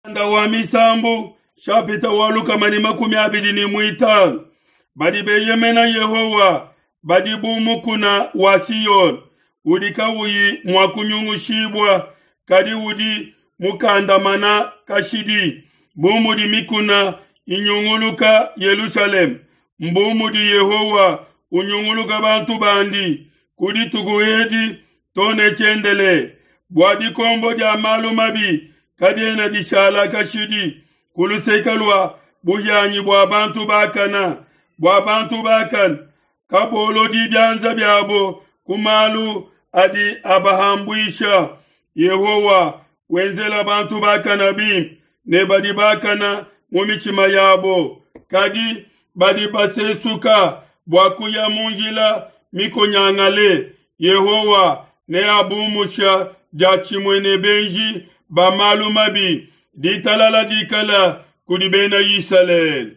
Mukanda wa Misambu shapita wa 225. Badi beyemena Yehowa badi bu mukuna wa Siyone udi kawuyi mua kunyungushibua, kadi udi mukandamana kashidi. Bu mudi mikuna inyunguluka Yelushalema, mbu mudi Yehowa unyunguluka bantu bandi ku dituku edi to ne tshiendelele. Bua dikombo dia malu mabi kadiena dishala kashidi ku luseke lua buhianyi bua bantu bakana, bua bantu bakana kabolodi bianza biabo ku malu adi abahambuisha. Yehowa wenzela bantu bakana bimpe ne badi bakana mu mitshima yabo, kadi badi basesuka bua kuya mu njila mikonyangale. Yehowa neabumusha diatshimue ne benji ba malu mabi. Ditalala dikala kudi bena Isalele.